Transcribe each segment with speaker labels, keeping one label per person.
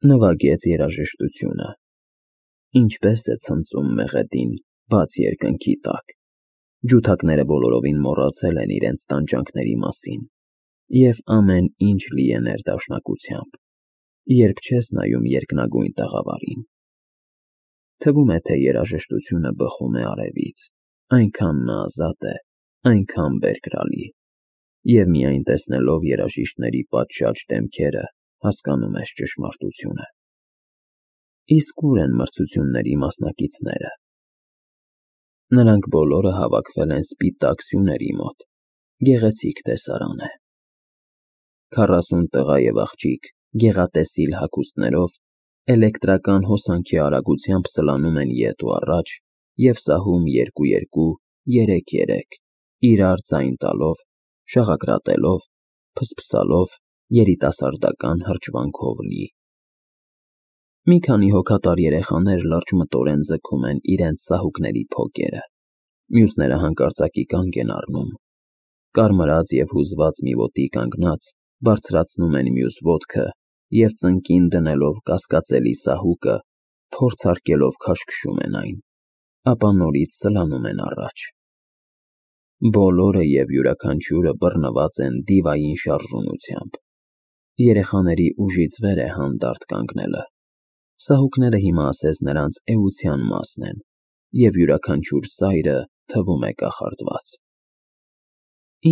Speaker 1: Նվագեց երաժշտությունը։ Ինչպես է ցնծում մեղեդին բաց երկնքի տակ։ Ջութակները բոլորովին մոռացել են իրենց տանջանքների մասին, և ամեն ինչ լի է ներդաշնակությամբ, երբ չես նայում երկնագույն տաղավարին։ Թվում է, թե երաժշտությունը բխում է արևից, այնքան նա ազատ է, այնքան բերկրալի, և միայն տեսնելով երաժիշտների պատշաճ դեմքերը հասկանում ես ճշմարտությունը։ Իսկ ուր են մրցությունների մասնակիցները։ Նրանք բոլորը հավաքվել են սպիտակ սյուների մոտ, գեղեցիկ տեսարան է։ 40 տղա և աղջիկ գեղատեսիլ հագուստներով էլեկտրական հոսանքի արագությամբ սլանում են ետ ու առաջ և սահում 2-2, 3-3, իրար ձայն տալով, շաղակրատելով, փսփսալով, երիտասարդական հրճվանքով լի։ Մի քանի հոգատար երեխաներ լրջմտորեն ձգում են իրենց սահուկների փոկերը, մյուսները հանկարծակի կանգ են առնում, կարմրած և հուզված մի ոտի կանգնած, բարձրացնում են մյուս ոտքը և ծնկին դնելով կասկածելի սահուկը, փորձարկելով քաշքշում են այն, ապա նորից սլանում են առաջ։ Բոլորը և յուրաքանչյուրը բռնված են դիվային շարժունությամբ։ Երեխաների ուժից վեր է հանդարտ կանգնելը։ Սահուկները հիմա ասես նրանց էության մասն են, և յուրաքանչյուր սայրը թվում է կախարդված։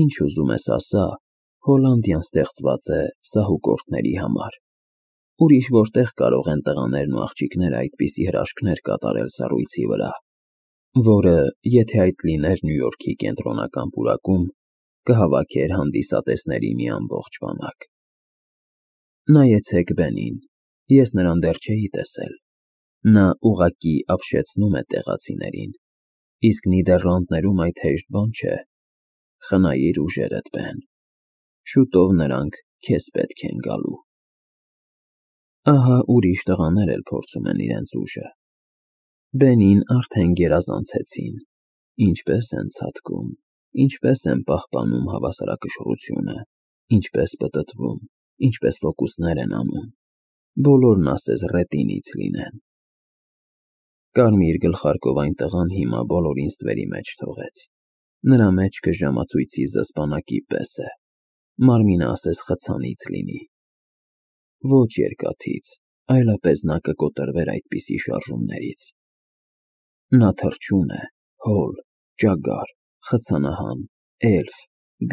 Speaker 1: Ինչ ուզում ես ասա, Հոլանդիան ստեղծված է սահուկորդների համար։ Ուրիշ որտեղ կարող են տղաներն ու աղջիկները այդպիսի հրաշքներ կատարել սառույցի վրա, որը, եթե այդ լիներ Նյու Յորքի կենտրոնական պուրակում, կհավաքեր հանդիսատեսների մի ամբողջ բանակ։ Նայեցեք Բենին, ես նրան դեռ չէի տեսել։ Նա ուղղակի ապշեցնում է տեղացիներին, իսկ Նիդեռլանդներում այդ հեշտ բան չէ։ Խնայիր ուժերդ, Բեն, շուտով նրանք քեզ պետք են գալու։ Ահա ուրիշ տղաներ էլ փորձում են իրենց ուժը։ Բենին արդեն գերազանցեցին, ինչպես են ցատկում, ինչպես են պահպանում հավասարակշռությունը, ինչպես պտտվում, ինչպես ֆոկուսներ են անում, բոլորն ասես ռետինից լինեն։ Կարմիր գլխարկով այն տղան հիմա բոլորին ստվերի մեջ թողեց։ Նրա մեջքը ժամացույցի զսպանակի պես է, մարմինը ասես խցանից լինի։ Ոչ երկաթից, այլապես նա կկոտրվեր այդպիսի շարժումներից։ Նա թռչուն է, հոլ, ճագար, խցանահան, էլֆ,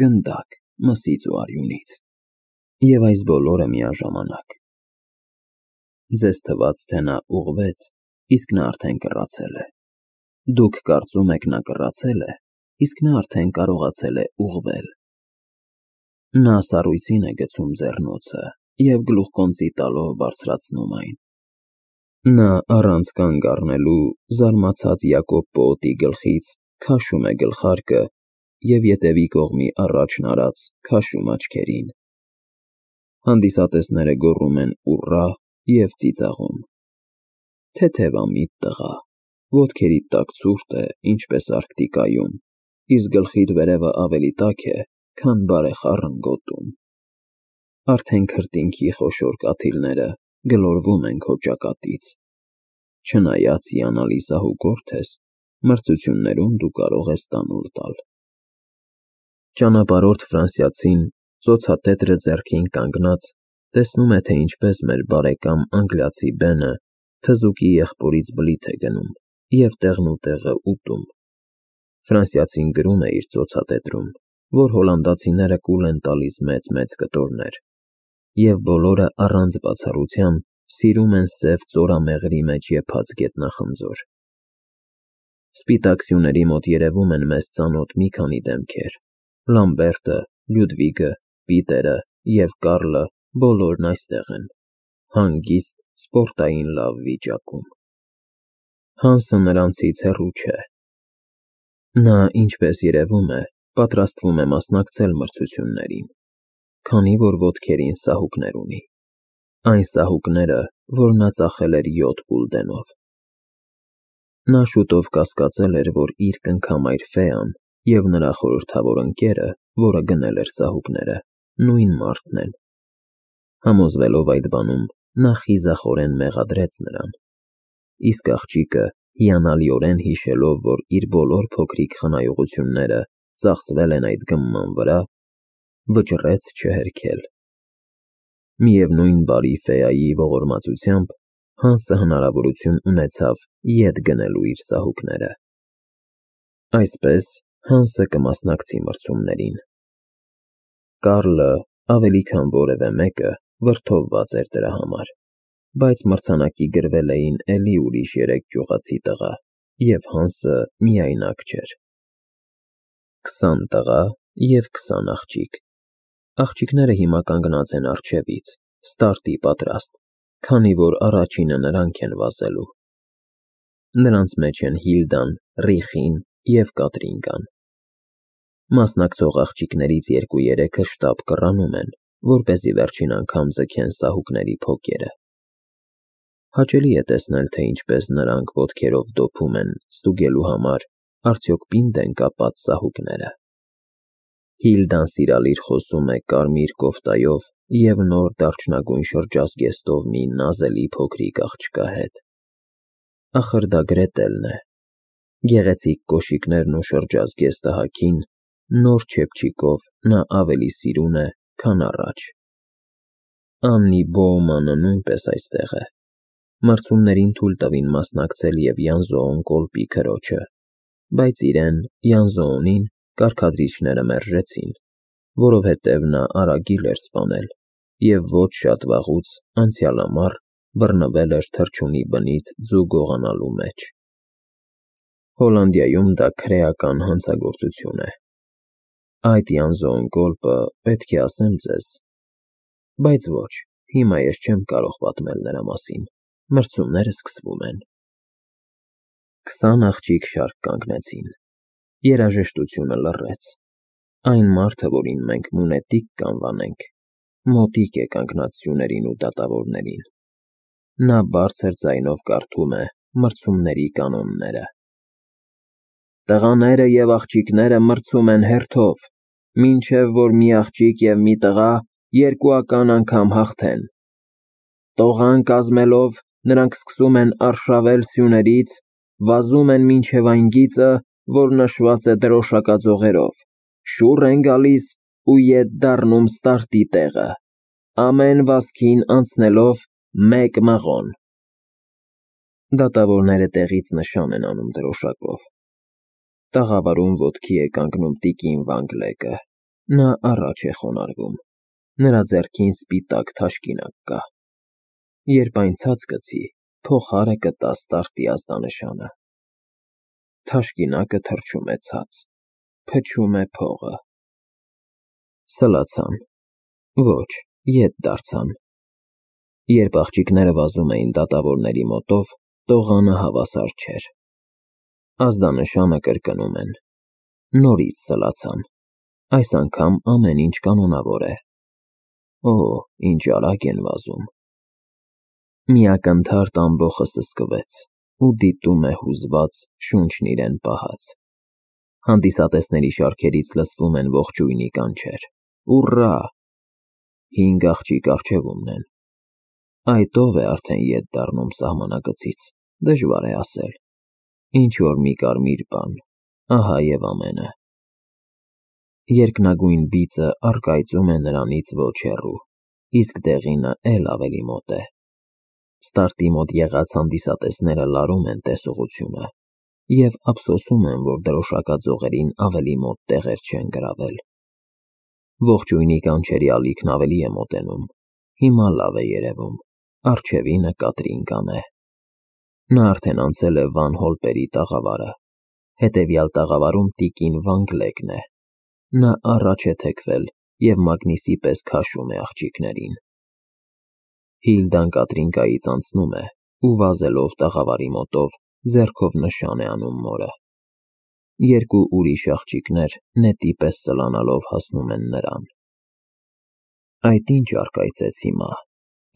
Speaker 1: գնդակ, մսից ու արյունից։ Եվ այս բոլորը միաժամանակ։ Ձեզ թվաց, թե նա ուղղվեց, իսկ նա արդեն կռացել է։ Դուք կարծում եք նա կռացել է, իսկ նա արդեն կարողացել է ուղղվել։ Նա սառույցին է գցում ձեռնոցը և գլուխկոնծի տալով բարձրացնում այն։ Նա առանց կանգ առնելու զարմացած Յակոբ պոոտի գլխից քաշում է գլխարկը և ետևի կողմի առաջն արած քաշում աչքերին։ Հանդիսատեսները գոռում են ուռա և ծիծաղում։ Թեթևամիտ տղա, ոտքերիդ տակ ցուրտ է, ինչպես Արկտիկայում, իսկ գլխիդ վերևը ավելի տաք է, քան բարեխառն գոտում։ Արդեն քրտինքի խոշոր կաթիլները գլորվում են քո ճակատից։ Չնայած հիանալի սահուկորդ ես, մրցություններում դու կարող ես տանուլ տալ։ Ճանապարհորդ ֆրանսիացին, ծոցատետրը ձեռքին կանգնած, տեսնում է, թե ինչպես մեր բարեկամ անգլիացի Բենը թզուկի եղբորից բլիթ է գնում և տեղնուտեղը ուտում։ Ֆրանսիացին գրում է իր ծոցատետրում, որ հոլանդացիները կուլ են տալիս մեծ-մեծ կտորներ, և բոլորը առանց բացառության սիրում են սև ծորամեղրի մեջ եփած գետնախնձոր։ Սպիտակ սյուների մոտ երևում են մեզ ծանոթ մի քանի դեմքեր. Լամբերտը, Լյուդվիգը, Պիտերը և Կարլը բոլորն այստեղ են, հանգիստ, սպորտային լավ վիճակում։ Հանսը նրանցից հեռու չէ։ Նա, ինչպես երևում է, պատրաստվում է մասնակցել մրցություններին, քանի որ ոտքերին սահուկներ ունի։ Այն սահուկները, որ նա ծախել էր 7 գուլդենով։ Նա շուտով կասկածել էր, որ իր կնքամայր Ֆեան և նրա խորհրդավոր ընկերը, որը գնել էր սահուկները, նույն մարդն են։ Համոզվելով այդ բանում, նա խիզախորեն մեղադրեց նրան, իսկ աղջիկը, հիանալիորեն հիշելով, որ իր բոլոր փոքրիկ խնայողությունները ծախսվել են այդ գմման վրա, վճռեց չհերքել։ Միևնույն բարի ֆեայի ողորմածությամբ Հանսը հնարավորություն ունեցավ ետ գնելու իր սահուկները։ Այսպես Հանսը կմասնակցի մրցումներին։ Կարլը, ավելի քան որևէ մեկը, վրդովված էր դրա համար, բայց մրցանակի գրվել էին էլի ուրիշ 3 գյուղացի տղա, և Հանսը միայնակ չէր։ 20 տղա և 20 աղջիկ։ Աղջիկները հիմա կանգնած են առջևից, ստարտի պատրաստ, քանի որ առաջինը նրանք են վազելու։ Նրանց մեջ են Հիլդան, Ռիխին և Կատրինկան։ Մասնակցող աղջիկներից 2-3-ը շտապ կռանում են, որպեսզի վերջին անգամ ձգեն սահուկների փոկերը։ Հաճելի է տեսնել, թե ինչպես նրանք ոտքերով դոփում են, ստուգելու համար, արդյոք պինդ են կապած սահուկները։ Հիլդան սիրալիր խոսում է կարմիր կոֆտայով և նոր դարչնագույն շրջազգեստով մի նազելի փոքրիկ աղջկա հետ։ Ախր դա Գրետելն է։ Գեղեցիկ կոշիկներն ու շրջազգեստը հագին, նոր չեփչիկով նա ավելի սիրուն է, քան առաջ։ Աննի Բոումանը նույնպես այստեղ է։ Մրցումներին թույլ տվին մասնակցել և Յանզոոն կոլպի քրոջը, բայց իրեն, Յանզոոնին, կարգադրիչները մերժեցին, որովհետև նա արագիլ էր սպանել և ոչ շատ վաղուց անցյալամառ բռնվել էր թռչունի բնից ձու գողանալու մեջ։ Հոլանդիայում դա քրեական հանցագործություն է։ Այդ Յանզոոն կոլպը, պետք է ասեմ ձեզ, բայց ոչ, հիմա ես չեմ կարող պատմել նրա մասին, մրցումները սկսվում են։ 20 աղջիկ շարք կանգնեցին։ Երաժշտությունը լռեց։ Այն մարդը, որին մենք մունետիկ կանվանենք, մոտիկ է կանգնած սյուներին ու դատավորներին։ Նա բարձր ձայնով կարդում է մրցումների կանոնները։ Տղաները և աղջիկները մրցում են հերթով, մինչև որ մի աղջիկ և մի տղա երկուական անգամ հաղթեն։ Տողան կազմելով նրանք սկսում են արշավել սյուներից, վազում են մինչև այն գիծը, որ նշված է դրոշակաձողերով, շուռ են գալիս ու ետ դառնում ստարտի տեղը, ամեն վազքին անցնելով 1 մղոն։ Դատավորները տեղից նշան են անում դրոշակով։ Տաղավարում ոտքի է կանգնում տիկին Վանգլեկը, նա առաջ է խոնարհվում, նրա ձեռքին սպիտակ թաշկինակ կա։ Երբ այն ցած գցի, փողահարը կտա ստարտի ազդանշանը։ Թաշկինակը թռչում է ցած, փչում է փողը։ Սլացան։ Ոչ, ետ դարձան։ Երբ աղջիկները վազում էին դատավորների մոտով, տողանը հավասար չէր։ Ազդանշանը կրկնում են։ Նորից սլացան։ Այս անգամ ամեն ինչ կանոնավոր է։ Օ, ինչ արագ են վազում։ Մի ակնթարթ ամբոխը սսկվեց ու դիտում է հուզված, շունչն իրեն պահած։ Հանդիսատեսների շարքերից լսվում են ողջույնի կանչեր։ Ուռա։ 5 աղջիկ առջևումն են։ Այդ ով է արդեն ետ դառնում սահմանագծից, դժվար է ասել։ Ինչ-որ մի կարմիր բան, ահա և ամենը։ Երկնագույն բիծը առկայծում է նրանից ոչ հեռու, իսկ դեղինը էլ ավելի մոտ է։ Ստարտի մոտ եղած հանդիսատեսները լարում են տեսողությունը և ափսոսում են, որ դրոշակաձողերին ավելի մոտ տեղեր չեն գրավել։ Ողջույնի կանչերի ալիքն ավելի է մոտենում։ Հիմա լավ է երևում, առջևինը Կատրինկան է։ Նա արդեն անցել է Վան Հոլպերի տաղավարը, հետևյալ տաղավարում տիկին Վանգլեկն է։ Նա առաջ է թեքվել և մագնիսի պես քաշում է աղջիկներին։ Հիլդան Կատրինկայից անցնում է ու վազելով տաղավարի մոտով ձեռքով նշան է անում մորը։ 2 ուրիշ աղջիկներ նետի պես սլանալով հասնում են նրան։ Այդ ինչ առկայծեց հիմա,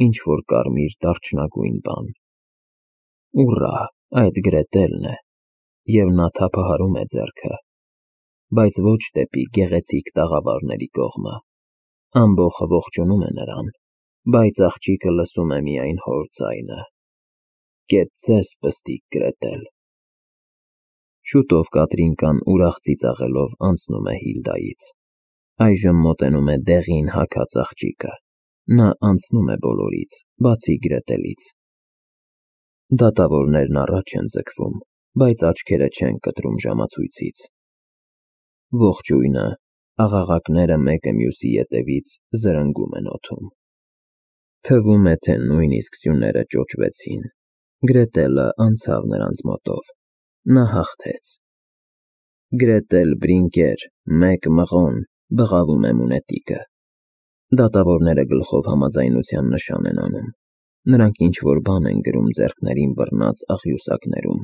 Speaker 1: ինչ-որ կարմիր դարչնագույն բան։ Ուռա, այդ Գրետելն է, և նա թափահարում է ձեռքը, բայց ոչ դեպի գեղեցիկ տաղավարների կողմը։ Ամբոխը ողջունում է նրան, բայց աղջիկը լսում է միայն հոր ձայնը. «Կետ ձեզ, պստիկ Գրետել»։ Շուտով Կատրինկան ուրախ ծիծաղելով անցնում է Հիլդայից։ Այժմ մոտենում է դեղին հագած աղջիկը։ Նա անցնում է բոլորից, բացի Գրետելից։ Դատավորներն առաջ են ձգվում, բայց աչքերը չեն կտրում ժամացույցից։ Ողջույնը, աղաղակները մեկը մյուսի ետևից զրնգում են օդում։ Թվում է, թե նույնիսկ սյուները ճոճվեցին։ Գրետելը անցավ նրանց մոտով։ Նա հաղթեց։ Գրետել Բրինկեր, մեկ մղոն, բղավում է մունետիկը։ Դատավորները գլխով համաձայնության նշան են անում։ Նրանք ինչ-որ բան են գրում ձեռքներին բռնած աղյուսակներում։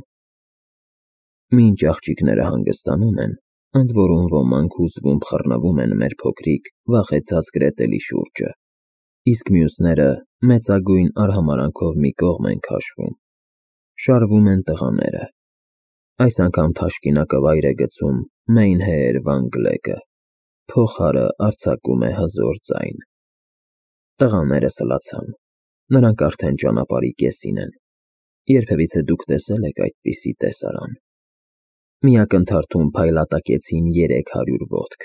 Speaker 1: Մինչ աղջիկները հանգստանում են, ընդ որում ոմանք հուզվում խռնվում են մեր փոքրիկ, վախեցած Գրետելի շուրջը, իսկ մյուսները մեծագույն արհամարհանքով մի կողմ են քաշվում։ Շարվում են տղաները։ Այս անգամ թաշկինակը վայր է գցում Մեյնհեեր Վան Գլեկը։ Փողահարը արձակում է հզոր ձայն։ Տղաները սլացան։ Նրանք արդեն ճանապարհի կեսին են։ Երբևիցե դուք տեսել եք այդպիսի տեսարան։ Մի ակնթարթում փայլատակեցին 300 ոտք,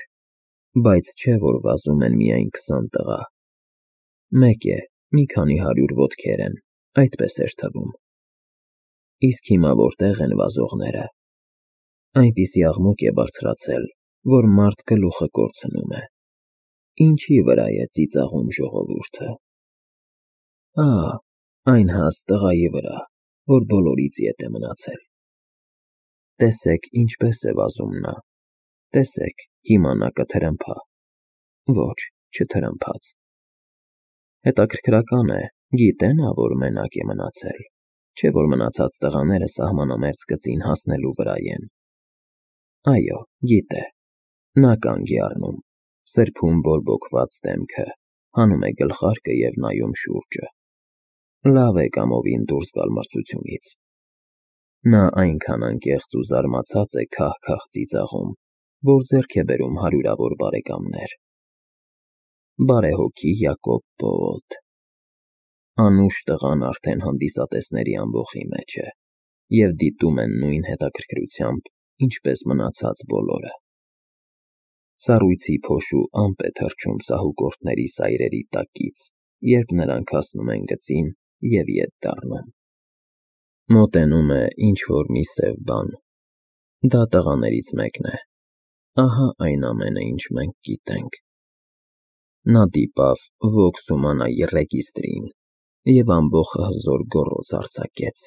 Speaker 1: բայց չէ որ վազում են միայն 20 տղա։ Մեկ է, մի քանի 100 ոտքեր են, այդպես էր թվում։ Իսկ հիմա որտեղ են վազողները։ Այնպիսի աղմուկ է բարձրացել, որ մարդ գլուխը կորցնում է։ Ինչի վրա է ծիծաղում ժողովուրդը։ Այն հաստ տղայի վրա, որ բոլորից ետ է մնացել։ Տեսեք, ինչպես է վազում նա։ Տեսեք, հիմա նա կթրմփա։ Ոչ, չթրմփաց։ Հետաքրքրական է, գիտե նա, որ մենակ է մնացել, չէ որ մնացած տղաները սահմանամերձ գծին հասնելու վրա են։ Այո, գիտե։ Նա կանգ է առնում, սրբում բորբոքված դեմքը, հանում է գլխարկը և նայում շուրջը։ Լավ է կամովին դուրս գալ մրցությունից։ Նա այնքան անկեղծ ու զարմացած է քահ-քահ ծիծաղում, որ ձեռք է բերում հարյուրավոր բարեկամներ։ Բարեհոգի Յակոբ Բոոտ։ Անուշ տղան արդեն հանդիսատեսների ամբոխի մեջ է և դիտում են նույն հետաքրքրությամբ, ինչպես մնացած բոլորը։ Սառույցի փոշու ամպ է թռչում սահուկորդների սայրերի տակից, երբ նրանք հասնում են գծին և ետ դառնում։ Մոտենում է ինչ-որ մի սև բան։ Դա տղաներից մեկն է։ Ահա այն ամենը, ինչ մենք գիտենք։ Նա դիպավ Vox Humanae ռեգիստրին և ամբոխը հզոր գոռոզ արձակեց։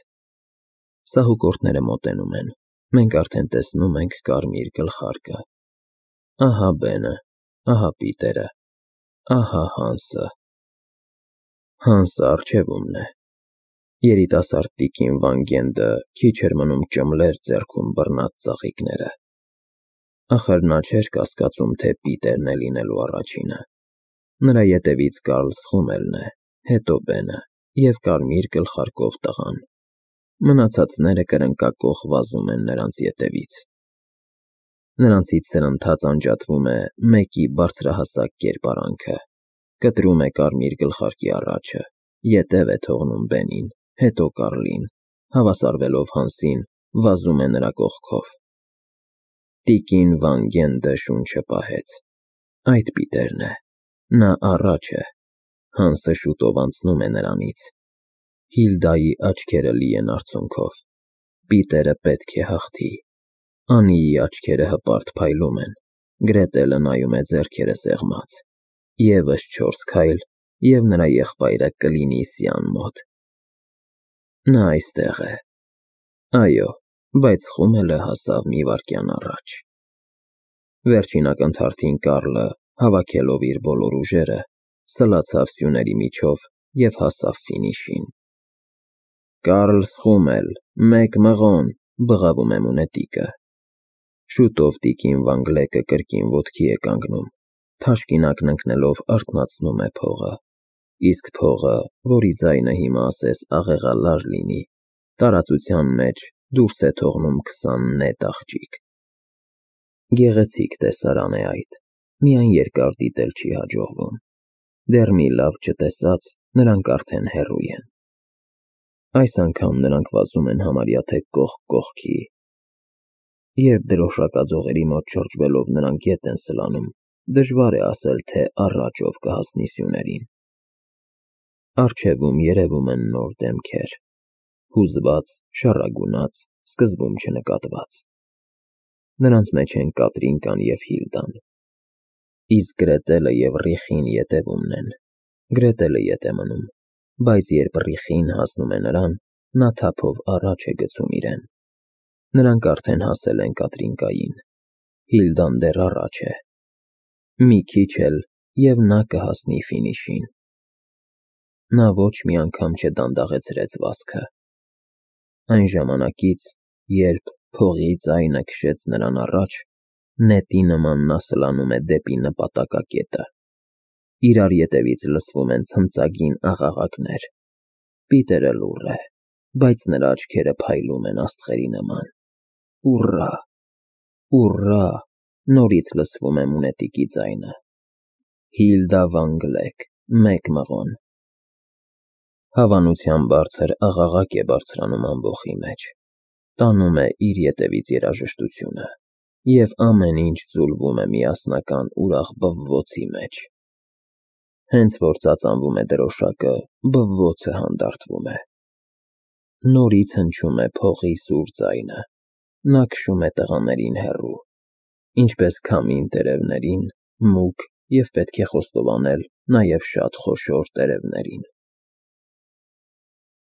Speaker 1: Սահուկորդները մոտենում են։ Մենք արդեն տեսնում ենք կարմիր գլխարկը։ Ահա Բենը, ահա Պիտերը, ահա Հանսը։ Հանսը առջևումն է։ Երիտասարդ տիկին Վան Գենդը քիչ էր մնում ճմլեր ձեռքում բռնած ծաղիկները։ Ախր նա չէր կասկածում, թե Պիտերն է լինելու առաջինը։ Նրա ետևից Կարլ Սխումելն է, հետո Բենը և կարմիր գլխարկով տղան։ Մնացածները կրնկակոխ վազում են նրանց ետևից։ Նրանցից սրընթաց անջատվում է մեկի բարձրահասակ կերպարանքը, կտրում է կարմիր գլխարկի առաջը, ետև է թողնում Բենին, հետո Կարլին, հավասարվելով Հանսին, վազում է նրա կողքով։ Տիկին Վան Գենդը շունչը պահեց։ Այդ Պիտերն է։ Նա առաջ է։ Հանսը շուտով անցնում է նրանից։ Հիլդայի աչքերը լի են արցունքով։ Պիտերը պետք է հաղթի։ Անիի աչքերը հպարտ փայլում են։ Գրետելը նայում է ձեռքերը սեղմած։ Եվս 4 քայլ, և նրա եղբայրը կլինի Սյան մոտ։ Նա այստեղ է։ Այո, բայց խումելը հասավ մի վայրկյան առաջ։ Վերջին ակնթարթին Կարլը, հավաքելով իր բոլոր ուժերը, սլացավ սյուների միջով և հասավ ֆինիշին։ Կարլ Սխումել, մեկ մղոն, բղավում է մունետիկը։ Շուտով տիկին Վան Գլեկը կրկին ոտքի է կանգնում, թաշկինակն ընկնելով արթնացնում է փողը, իսկ փողը, որի ձայնը հիմա ասես աղեղալար լինի, տարածության մեջ դուրս է թողնում 20 նետ աղջիկ։ Գեղեցիկ տեսարան է այդ, միայն երկար դիտել չի հաջողվում։ Դեռ մի լավ չտեսած, Նրանք արդեն հեռու են։ Այս անգամ նրանք վազում են համարյա թե կողք կողքի։ Երբ դրոշակաձողերի մոտ շրջվելով նրանք ետ են սլանում, դժվար է ասել, թե առաջ ով կհասնի սյուներին։ Առջևում երևում են նոր դեմքեր, հուզված, շառագունած, սկզբում չնկատված։ Նրանց մեջ են Կատրինկան և Հիլդան։ Իսկ Գրետելը և Ռիխին ետևումն են։ Գրետելը ետ է մնում, բայց երբ Ռիխին հասնում է նրան, նա թափով առաջ է գցում իրեն։ Նրանք արդեն հասել են Կատրինկային։ Հիլդան դեռ առաջ է։ Մի քիչ էլ, և նա կհասնի ֆինիշին։ Նա ոչ մի անգամ չդանդաղեցրեց վազքը։ Այն ժամանակից, երբ փողի ձայնը քշեց նրան առաջ, նետի նման նա սլանում է դեպի նպատակակետը։ Իրար ետևից լսվում են ցնծագին աղաղակներ։ Պիտերը լուռ է, բայց նրա աչքերը փայլում են աստղերի նման։ Ուռա, ուռա, նորից լսվում է մունետիկի ձայնը։ Հիլդա վան Գլեկ, մեկ մղոն։ Հավանության բարձր աղաղակ է բարձրանում ամբոխի մեջ, տանում է իր ետևից երաժշտությունը, և ամեն ինչ ձուլվում է միասնական ուրախ բվվոցի մեջ։ Հենց որ ծածանվում է դրոշակը, բվվոցը հանդարտվում է։ Նորից հնչում է փողի սուր ձայնը։ Նա քշում է տղաներին հեռու, ինչպես քամին տերևներին, մուգ և պետք է խոստովանել նաև շատ խոշոր տերևներին։